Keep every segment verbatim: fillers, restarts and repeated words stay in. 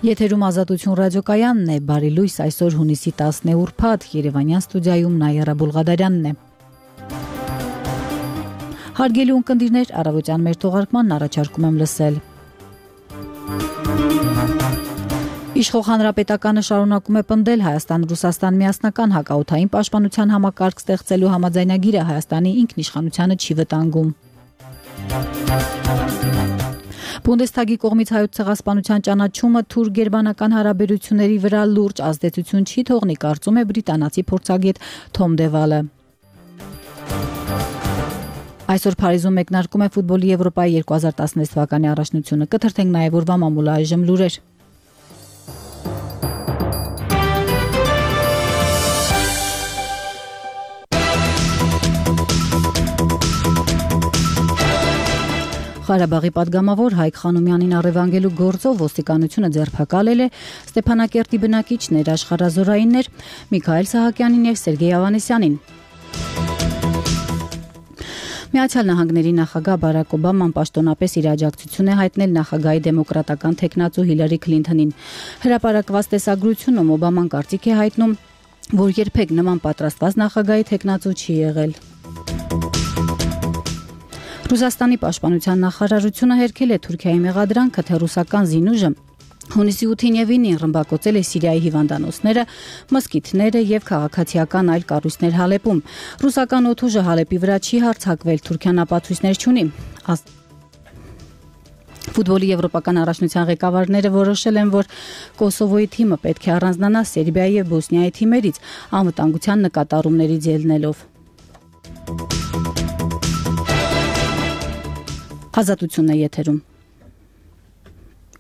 Եթերում Ազատություն ռադիոկայանն է, բարի լույս, այսօր հունիսի տասն ուրբաթ, Երևանյան ստուդիայում Նայիրա Բուլղադարյանն է։ Հարգելի ունկնդիրներ, առավոտյան մեր թողարկմանն առաջարկում եմ լսել։ Իշխող հանրապետականը շարունակում է պնդել Հայաստան-Ռուսաստան միասնական հակաօդային պաշտպանության համակարգ ստեղծելու համաձայնագիրը Հայաստանի ինքնիշխանությանը չի վտանգում։ Բունդեսթագի կողմից հայոց ցեղասպանության ճանաչումը թուրք-գերմանական հարաբերությունների վրա լուրջ ազդեցություն չի թողնի, կարծում է բրիտանացի փորձագետ Թոմ Դևալը։ Այսօր Փարիզում մեկնարկում է ֆուտբոլի Եվրոպայի երկու հազար տասնվեց թվականի առաջնությունը, կթրթենք նաև օրվա մամուլը այժմ լուրեր։ Ղարաբաղի պատգամավոր Հայկ Խանոմյանին առևանգելու գործով ոստիկանությունը ձերբակալել է Ստեփանակերտի բնակիչներ, աշխարհազորայիններ Միքայել Սահակյանին եւ Սերգեյ Ավանեսյանին։ Միացյալ Նահանգների նախագահ Բարակ Օբաման պաշտոնապես իր աջակցություն է հայտնել նախագահի դեմոկրատական թեկնածու Հիլարի Քլինթոնին։ Հրապարակված տեսագրությունում Օբաման կարծիք է հայտնում, որ երբեք նման պատրաստված նախագահի թեկնածու չի եղել։ Ռուսաստանի պաշտպանության նախարարությունը հերքել է Թուրքիայի մեղադրանքը, թե ռուսական զինուժը հունիսի ութին եւ ինին ռմբակոծել է Սիրիայի հիվանդանոցները, մզկիթները եւ քաղաքացիական այլ կառույցներ Հալեպում։ Ռուսական օդուժը Հալեպի վրա չի հարձակվել, Թուրքիան ապացույցներ չունի։ Ֆուտբոլի եվրոպական առաջնության ղեկավարները որոշել են, որ Կոսովոյի թիմը պետք է առանձնանա Սերբիայի եւ Բոսնիայի թիմերից անվտանգության նկատառումներից ելնելով։ Ազատությունն է եթերում։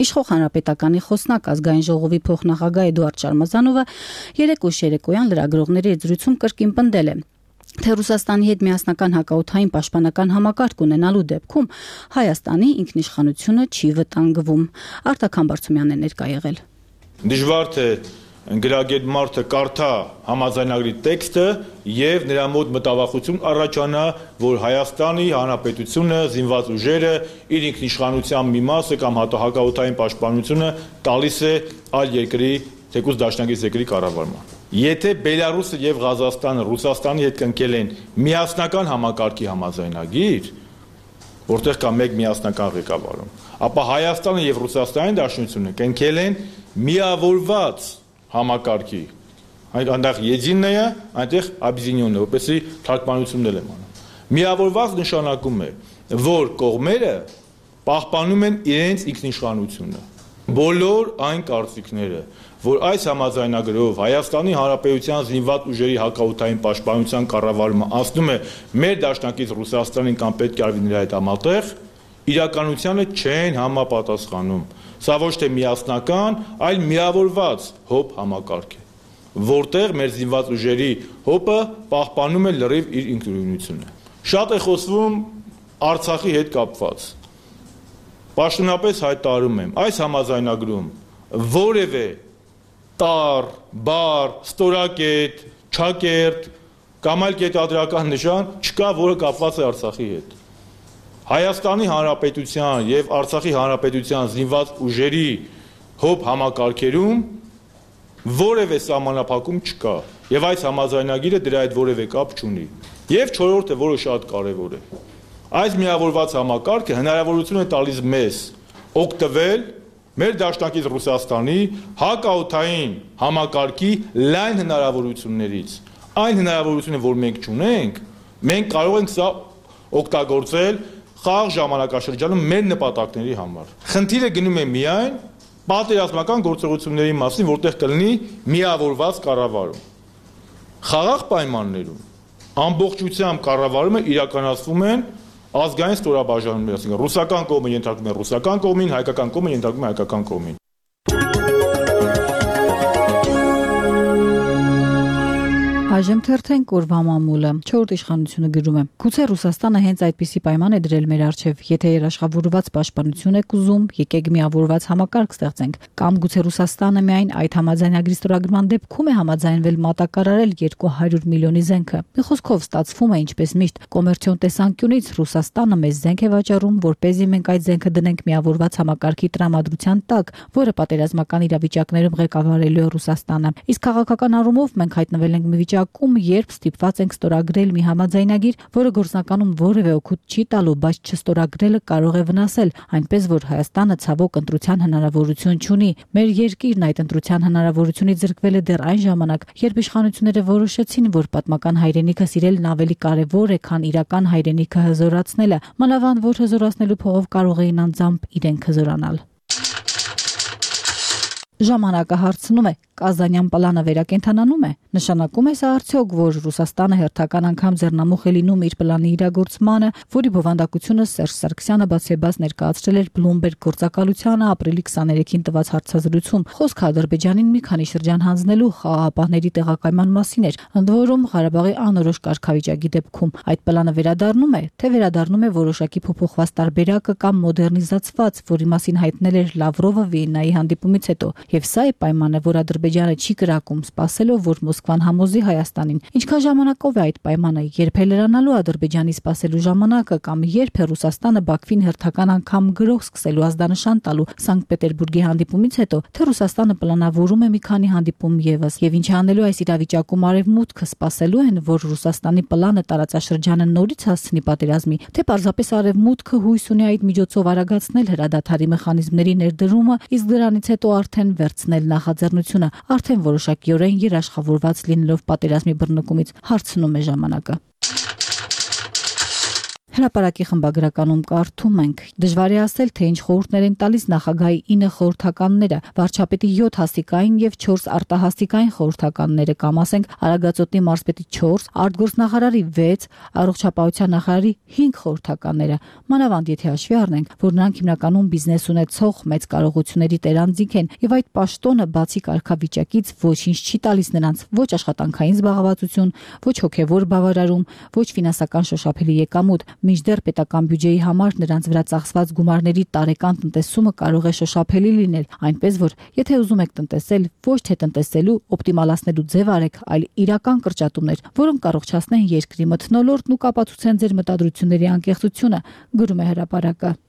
Իշխող հանրապետականի խոսնակ ազգային ժողովի փոխնախագահ Էդուարդ Շարմազանովը երեկո շերեկոյան լրագրողների զրույցում կրկին պնդել է, թե Ռուսաստանի հետ միասնական հակաօդային պաշտպանական համակարգ ունենալու դեպքում Հայաստանի ինքնիշխանությունը չի վտանգվում։ Արտակ Համբարձումյանն է ներկա եղել։ Դժվար թե գրագետ մարդը կարդա համաձայնագրի տեքստը եւ նրա մոտ մտավախություն առաջանա, որ Հայաստանի Հանրապետությունը, զինված ուժերը, իր ինքնիշխանության մի մասը կամ հակաօդային պաշտպանությունը տալիս է այլ երկրի, թեկուզ դաշնակից երկրի կառավարման։ Եթե Բելարուսը եւ Ղազախստանը Ռուսաստանի հետ կնքել են միասնական համակարգի համաձայնագիր, որտեղ կա մեկ միասնական ղեկավարում, ապա Հայաստանը եւ Ռուսաստանի Դաշնությունը կնքել են միավորված համակարգի, այնտեղ Եդիննայա, այնտեղ Աբզինյոնը, որպեսզի թարգմանություններ եմ անում։ Միավորված նշանակում է, որ կողմերը պահպանում են իրենց ինքնիշխանությունը։ Բոլոր այն կարծիքները, որ այս համաձայնագրով Հայաստանի Հանրապետության զինված ուժերի հակաօդային պաշտպանության կառավարումը անցնում է մեր դաշնակից Ռուսաստանին կամ պետք է արվի նրա հետ համատեղ, իրականությանը չեն համապատասխանում։ Սա ոչ թե միասնական, այլ միավորված հոբ համակարգ է, որտեղ մեր զինված ուժերի հոբը պահպանում է լրիվ իր ինքնուրույնությունը։ Շատ է խոսվում Արցախի հետ կապված։ Պաշտոնապես հայտարարում եմ, այս համաձայնագրում որևէ տառ, բառ, ստորակետ, չակերտ կամ այլ կետադրական նշան չկա, որը կապված է Արցախի հետ։ Հայաստանի Հանրապետության եւ Արցախի Հանրապետության զինված ուժերի հոբ համակարգերում որևէ սահմանափակում չկա եւ այս համաձայնագիրը դրա հետ որևէ կապ չունի։ Եվ չորրորդը, որը շատ կարեւոր է, այս միավորված համակարգը հնարավորություն է տալիս մեզ օգտվել մեր դաշնակից Ռուսաստանի հակաօդային համակարգի լայն հնարավորություններից։ Այն հնարավորությունը, որ մենք չունենք, մենք կարող ենք սա օգտագործել խաղ ժամանակաշրջանում մեր նպատակների համար։ Խնդիրը գնում է միայն պատերազմական գործողությունների մասին, որտեղ կլինի միավորված կառավարում։ Խաղաղ պայմաններում ամբողջությամբ կառավարումը իրականացվում են ազգային ստորաբաժանումներ, այսինքն ռուսական կողմը ենթարկվում է ռուսական կողմին, հայկական կողմը ենթարկվում է հայկական կողմին։ Այժմ թերթենք օրվա մամուլը։ Չորրորդ իշխանությունը գրում է. Գուցե Ռուսաստանը հենց այդպիսի պայման է դրել մեր առջև, եթե երաշխավորված պաշտպանություն եք ուզում, եկեք միավորված համակարգ ստեղծենք, կամ գուցե Ռուսաստանը միայն այդ համաձայնագրի ստորագրման դեպքում է համաձայնվել մատակարարել երկու հարյուր միլիոնի զենքը։ Մի խոսքով ստացվում է ինչպես միշտ, կոմերցիոն տեսանկյունից Ռուսաստանը մեզ զենք է վաճառում, որպեսզի մենք այդ զենքը դնենք միավորված համակարգի տրամադրության տակ, որը պատերազմական իրավիճակներում ղեկավարելու է Ռուսաստանը։ Իսկ քաղաքական առումով մենք հայտնվել ենք մի վիճակում, երբ ստիպված ենք ստորագրել մի համաձայնագիր, որը գործնականում որևէ օգուտ չի տալու, բայց չստորագրելը կարող է վնասել, այնպես որ Հայաստանը ցավոք ընտրության հնարավորություն չունի։ Մեր երկիրն այդ ընտրության հնարավորությունից զրկվել է դեռ այն ժամանակ, երբ իշխանությունները որոշեցին, որ պատմական հայրենիքը սիրելն ավելի կարևոր է, քան իրական հայրենիքը հզորացնելը, մանավանդ որ հզորացնելու փողով կարող էին անձամբ իրենք հզորանալ։ Ժամանակը հարցնում է. Կազանյան պլանը վերակենդանանում է։ Նշանակում է սա արդյոք, որ Ռուսաստանը հերթական անգամ ձեռնամուխ է լինում իր պլանի իրագործմանը, որի բովանդակությունը Սերժ Սարգսյանը բացեբաց ներկայացրել էր Bloomberg գործակալությանը ապրիլի քսաներեքին տված հարցազրույցում։ Խոսքը Ադրբեջանին մի քանի շրջան հանձնելու խաղաղապահների տեղակայման մասին էր, ընդ որում Ղարաբաղի անորոշ կարգավիճակի դեպքում։ Այդ պլանը վերադառնում է, թե վերադառնում է որոշակի փոփոխված տարբերակը կամ մոդեռնիզացված, որի մասին հայտնել էր Լավրովը Վիեննայի հանդիպումից հետո։ Եվ սա է պայմանը, որ Ադրբեջանը չի կրակում, սպասելով, որ Մոսկվան համոզի Հայաստանին։ Ինչքան ժամանակով է այդ պայմանը, երբ է լրանալու Ադրբեջանի սպասելու ժամանակը, կամ երբ է Ռուսաստանը Բաքվին հերթական անգամ գրող սկսելու ազդանշան տալու Սանկտ Պետերբուրգի հանդիպումից հետո, թե Ռուսաստանը պլանավորում է մի քանի հանդիպում եւս, եւ ինչ անելու այս իրավիճակում արևմուտքը սպասելու են, որ Ռուսաստանի պլանը տարածաշրջանը նորից հասցնի պատերազմի, թե պարզապես արևմուտքը հույս ունի այդ միջոցով արագացնել հրադադարի մեխանիզմների ներդրումը, իսկ դրանից հետո արդեն վերցնել նախաձեռնությունը, արդեն որոշակիորեն երաշխավորված լինելով պատերազմի բռնկումից, հարցնում է ժամանակը։ Հրապարակի խմբագրականում կարդում ենք. Դժվար է ասել, թե ինչ խորհուրդներ են տալիս նախագահի ինը խորհրդականները, վարչապետի յոթ հասիկային եւ չորս արտահասիկային խորհրդականները, կամ ասենք Արագածոտնի մարզպետի չորս, արտգործնախարարի վեց, առողջապահության նախարարի հինգ խորհրդականները, մանավանդ եթե հաշվի առնենք, որ նրանք հիմնականում բիզնես ունեցող մեծ կարողությունների տերանձիկ են եւ այդ պաշտոնը բացի կարգավիճակից ոչինչ չի տալիս նրանց, ոչ աշխատանքային զբաղվածություն, ոչ հոգեվոր բավարարում, ոչ ֆինանսական շոշափելի եկամուտ, մինչդեռ պետական բյուջեի համար նրանց վրա ծախսված գումարների տարեկան տնտեսումը կարող է շոշափելի լինել, այնպես որ եթե ուզում եք տնտեսել, ոչ թե տնտեսելու, օպտիմալացնելու ձև արեք, այլ իրական կրճատումներ, որոնք կառողջացնեն երկրի մթնոլորտն ու կապացուցեն ձեր մտադրությունների անկեղծությունը, գրում է հրապարակը։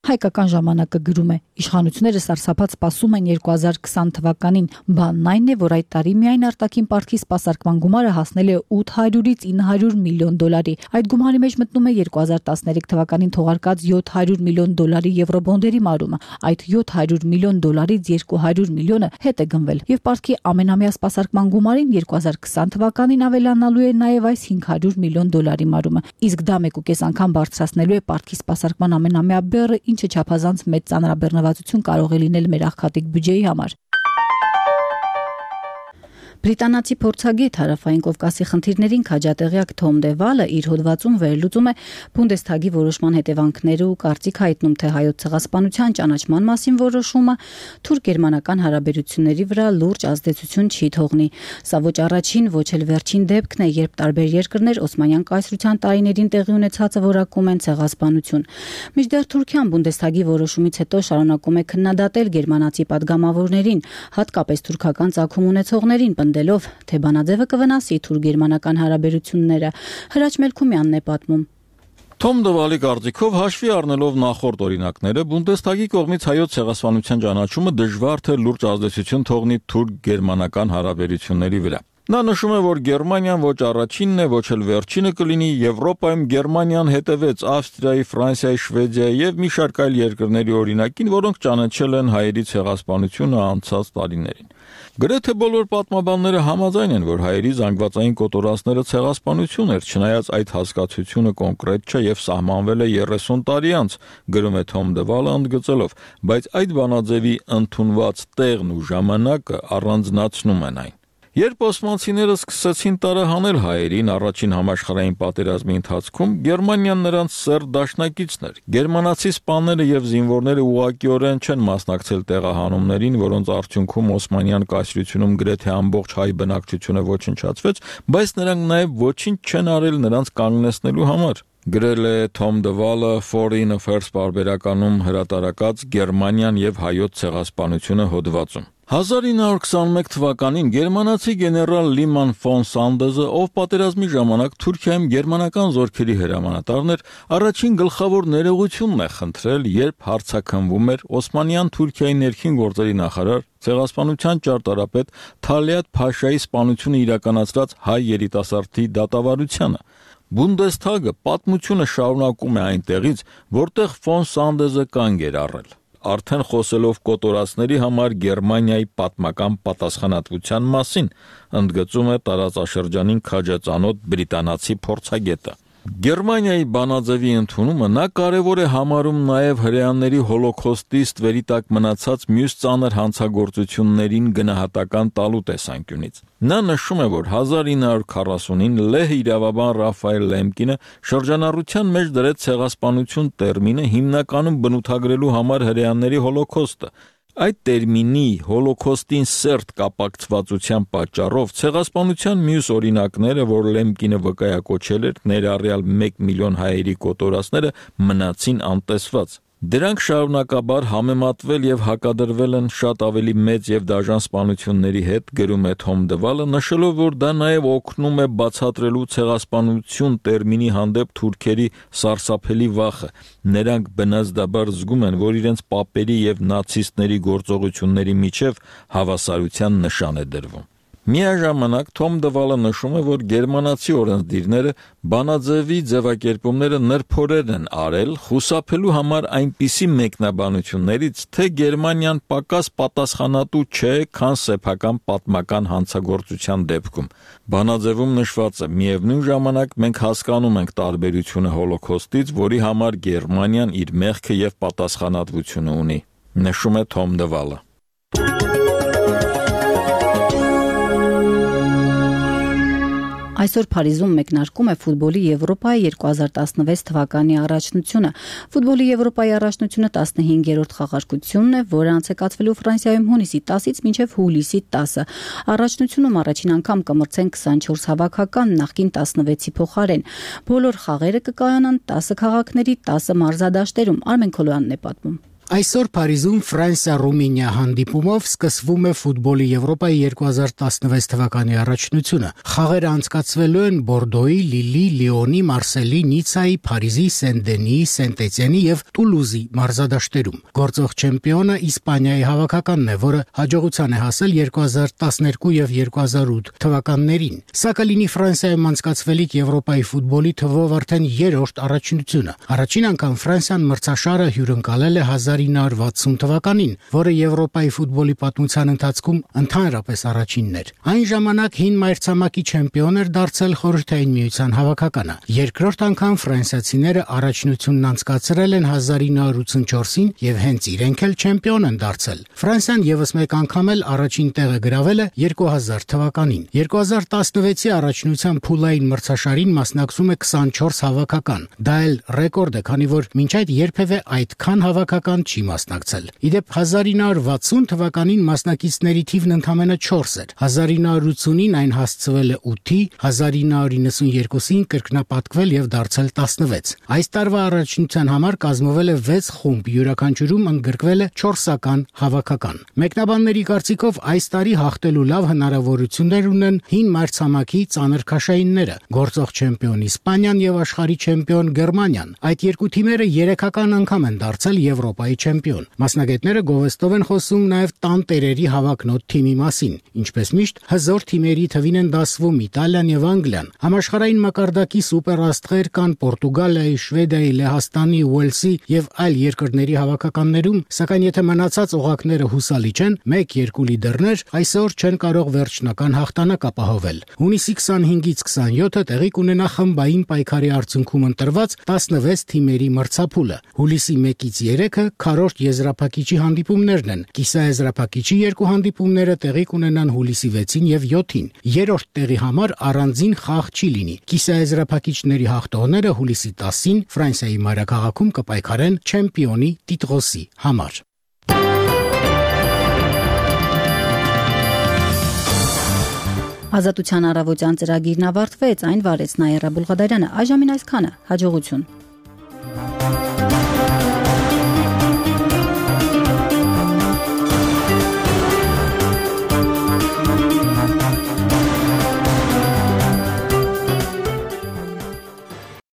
Հայկական ժամանակը գրում է. Իշխանությունները սարսափած սպասում են երկու հազար քսան թվականին, բանն այն է, որ այդ տարի միայն արտաքին պարտքի սպասարկման գումարը հասնել է ութ հարյուրից ինը հարյուր միլիոն դոլարի։ Այդ գումարի մեջ մտնում է երկու հազար տասներեք թվականին թողարկած յոթ հարյուր միլիոն դոլարի եվրոբոնդերի մարումը։ Այդ յոթ հարյուր միլիոն դոլարից երկու հարյուր միլիոնը հետ է գնվել, եւ պարտքի ամենամյա սպասարկման գումարին երկու հազար քսան թվականին ավելանալու է նաեւ այս հինգ հարյուր միլիոն դոլարի մարումը։ Իսկ դա մեկ ու կես անգամ բարձրացնելու է պարտքի սպասարկման ամենամյա բեռը, ինչը չափազանց մեծ ծանրաբեռնվածություն կարող է լինել մեր աղքատիկ բյուջեի համար։ Բրիտանացի փորձագետ հարավային Կովկասի խնդիրներին քաջատեղյակ Թոմ Դևալը իր հոդվածում վերլուծում է Բունդեսթագի որոշման հետևանքները ու կարծիք հայտնում, թե հայոց ցեղասպանության ճանաչման մասին որոշումը թուրք-գերմանական հարաբերությունների վրա լուրջ ազդեցություն չի թողնի։ Սա ոչ առաջին, ոչ էլ վերջին դեպքն է, երբ տարբեր երկրներ Օսմանյան կայսրության տարիներին տեղի ունեցածը որակում են ցեղասպանություն։ Մինչդեռ Թուրքիան Բունդեսթագի որոշումից հետո շարունակում է քննադատել գերմանացի падգամավորներին, հատկապես թուրքական ծագում ունեցողներին, դելով, թե բանաձևը կվնասի թուրք-գերմանական հարաբերությունները, Հրաչ Մելքումյանն է պատմում։ Թոմ Դևալի կարծիքով հաշվի առնելով նախորդ օրինակները, Բունդեսթագի կողմից հայոց ցեղասպանության ճանաչումը դժվար թե լուրջ ազդեցություն թողնի թուրք-գերմանական հարաբերությունների վրա։ Նա նշում է, որ Գերմանիան ոչ առաջինն է, ոչ էլ վերջինը կլինի, Եվրոպայում Գերմանիան հետևեց Ավստրիայի, Ֆրանսիայի, Շվեդիայի եւ մի շարք այլ երկրների օրինակին, որոնք ճանաչել են հայերի ցեղասպանությունը անցած տարիներին։ Գրեթե բոլոր պատմաբանները համաձայն են, որ հայերի զանգվածային կոտորածները ցեղասպանություն էր, չնայած այդ հասկացությունը կոնկրետ չէ եւ սահմանվել է երեսուն տարի անց, գրում է Թոմ Դևալը ընդգծելով, բայց այդ բանաձևի ընդունված տեղն ու ժամանակը առանձնացնում են այն։ Երբ օսմանցիները սկսեցին տարահանել հայերին առաջին համաշխարհային պատերազմի ընթացքում, Գերմանիան նրանց սերտ դաշնակիցն էր։ Գերմանացի սպաները եւ զինվորները ուղղակիորեն չեն մասնակցել տեղահանումներին, որոնց արդյունքում Օսմանյան կայսրությունում գրեթե ամբողջ հայ բնակչությունը ոչնչացվեց, բայց նրանք նաեւ ոչինչ չեն արել նրանց կանգնեցնելու համար։ Գրել է Թոմ Դվալը Foreign Affairs պարբերականում հրատարակած Գերմանիան եւ հայոց ցեղասպանությունը հոդվածում։ հազար ինը հարյուր քսաներեք թվականին գերմանացի գեներալ Լիման ֆոն Սանդեզը, ով պատերազմի ժամանակ Թուրքիայում գերմանական զորքերի հրամանատարն էր, առաջին գլխավոր ներողությունն է խնդրել, երբ հարցաքննվում էր Օսմանյան Թուրքիայի ներքին գործերի նախարար, ցեղասպանության ճարտարապետ Թալիաթ Փաշայի սպանությունը իրականացրած հայ երիտասարդի դատավարությանը։ Բունդեսթագը պատմությունը շարունակում է այնտեղից, որտեղ ֆոն Սանդեզը կանգ էր առել։ Արդեն խոսելով կոտորածների համար Գերմանիայի պատմական պատասխանատվության մասին, ընդգծում է տարածաշրջանին քաջածանոթ բրիտանացի փորձագետը։ Գերմանիայի բանաձևի ընդունումը նա կարևոր է համարում նաև հրեաների հոլոքոստի ստվերի տակ մնացած մյուս ծանր հանցագործություններին գնահատական տալու տեսանկյունից։ Նա նշում է, որ հազար ինը հարյուր քառասունին լեհ իրավաբան Ռաֆայել Լեմկինը շրջանառության մեջ դրեց ցեղասպանություն տերմինը հիմնականում բնութագրելու համար հրեաների հոլոքոստը։ Այդ տերմինի հոլոքոստին սերտ կապակցվածության պատճառով ցեղասպանության մյուս օրինակները, որ Լեմկինը վկայակոչել էր, ներառյալ մեկ միլիոն հայերի կոտորածները, մնացին անտեսված։ Դրանք շարունակաբար համեմատվել եւ հակադրվել են շատ ավելի մեծ եւ դաժան սպանությունների հետ, գրում է Թոմ Դվալը, նշելով, որ դա նաեւ օգնում է բացատրելու ցեղասպանություն տերմինի հանդեպ թուրքերի սարսափելի վախը։ Նրանք բնազդաբար զգում են, որ իրենց պապերի եւ նացիստների գործողությունների միջև հավասարության նշան է դրվում։ Միաժամանակ Թոմ Դվալը նշում է, որ գերմանացի օրենսդիրները բանաձևի ձևակերպումները նրբորեն են արել, խուսափելու համար այնպիսի մեկնաբանություններից, թե Գերմանիան պակաս պատասխանատու չէ, քան սեփական պատմական հանցագործության դեպքում։ Բանաձևում նշված է. միևնույն ժամանակ մենք հասկանում ենք տարբերությունը հոլոքոստից, որի համար Գերմանիան իր մեղքը եւ պատասխանատվությունը ունի, նշում է Թոմ Դվալը։ Այսօր Փարիզում մեկնարկում է ֆուտբոլի Եվրոպայի երկու հազար տասնվեց թվականի առաջնությունը։ Ֆուտբոլի Եվրոպայի առաջնությունը տասնհինգերորդ խաղարկությունն է, որը անցկացվելու Ֆրանսիայում հունիսի տասից մինչև հուլիսի տասը։ Առաջնությունում առաջին անգամ կմրցեն քսանչորս հավաքական, նախկին տասնվեցի փոխարեն։ Բոլոր խաղերը կկայանան տասը քաղաքների տասը մարզադաշտերում։ Արմեն Քոլոյանն է պատմում։ Այսօր Փարիզում Ֆրանսիա-Ռումինիա հանդիպումով սկսվում է ֆուտբոլի Եվրոպայի երկու հազար տասնվեց թվականի առաջնությունը։ Խաղերը անցկացվելու են Բորդոյի, Լիլի, Լիոնի, Մարսելի, Նիցայի, Փարիզի, Սեն-Դենիի, Սենտ-Էտիենի եւ Տուլուզի մարզադաշտերում։ Գործող չեմպիոնը Իսպանիայի հավաքականն է, որը հաջողության է հասել երկու հազար տասներկու եւ երկու հազար ութ թվականներին։ Սա կլինի Ֆրանսիայում անցկացվելիք Եվրոպայի ֆուտբոլի թվով արդեն երրորդ առաջնությունը։ Առաջին անգամ Ֆրանսիան մրցաշարը հյուրընկալել է հազար ինը հարյուր վաթսուն թվականին, որը Եվրոպայի ֆուտբոլի պատմության ընթացքում ընդհանրապես առաջինն էր։ Այն ժամանակ հին մայրցամաքի չեմպիոն էր դարձել Խորհրդային Միության հավաքականը։ Երկրորդ անգամ ֆրանսիացիները առաջնությունն անցկացրել են հազար ինը հարյուր ութսունչորսին եւ հենց իրենք էլ չեմպիոն են դարձել։ Ֆրանսիան եւս մեկ անգամ էլ առաջին տեղը գրավել է երկու հազար թվականին։ երկու հազար տասնվեցի առաջնության փուլային մրցաշարին մասնակցում է քսանչորս հավաքական։ Դա էլ ռեկորդ է, քանի որ մինչ այդ երբևէ այդքան հավաքական չի մասնակցել։ Իդեպ հազար ինը հարյուր վաթսուն թվականին մասնակիցների թիվն ընդամենը չորս էր։ հազար ինը հարյուր ութսունին այն հասցվել է ութի, հազար ինը հարյուր նվսունյոթին կրկնապատկվել եւ դարձել տասնվեց։ Այս տարվա առաջնության համար կազմվել է վեց խումբ, յուրաքանչյուրում ընդգրկվել է չորսական հավաքական։ Մեկնաբանների կարծիքով այս տարի հաղթելու լավ հնարավորություններ ունեն հին մայրցամաքի ծանր քաշայինները՝ գործող չեմպիոն Իսպանիան եւ աշխարհի չեմպիոն Գերմանիան։ Այդ երկու թիմերը երեքական անգամ են դարձել Եվրոպայի չեմպիոն։ Մասնագետները գովեստով են խոսում նաև տան տերերի հավակնոտ թիմի մասին։ Ինչպես միշտ, հզոր թիմերի թվին են դասվում Իտալիան եւ Անգլիան։ Համաշխարհային մակարդակի սուպերաստղեր կան Պորտուգալիայի, Շվեդիայի, Լեհաստանի, Ուելսի եւ այլ երկրների հավաքականներում, սակայն եթե մնացած օղակները հուսալի չեն, մեկ-երկու լիդերներ այսօր չեն կարող վերջնական հաղթանակ ապահովել։ Հունիսի քսանհինգից քսանյոթը տեղի կունենա խմբային պայքարի արդյունքում ընտրված տասնվեց թիմերի մրցափուլը։ Հուլիսի մեկից երեքը քառորդ եզրափակիչի հանդիպումներն են։ Կիսաեզրափակիչի երկու հանդիպումները տեղի կունենան հուլիսի վեցին եւ յոթին։ Երրորդ տեղի համար առանձին խաղ չի լինի։ Կիսաեզրափակիչների հաղթողները հուլիսի տասին Ֆրանսիայի մայրաքաղաքում կպայքարեն չեմպիոնի տիտղոսի համար։ Ազատության առավոտյան ծրագիրն ավարտվեց, այն վարեց Նաիրա Բուլղադարյանը։ Այժմին այսքանը, հաջողություն։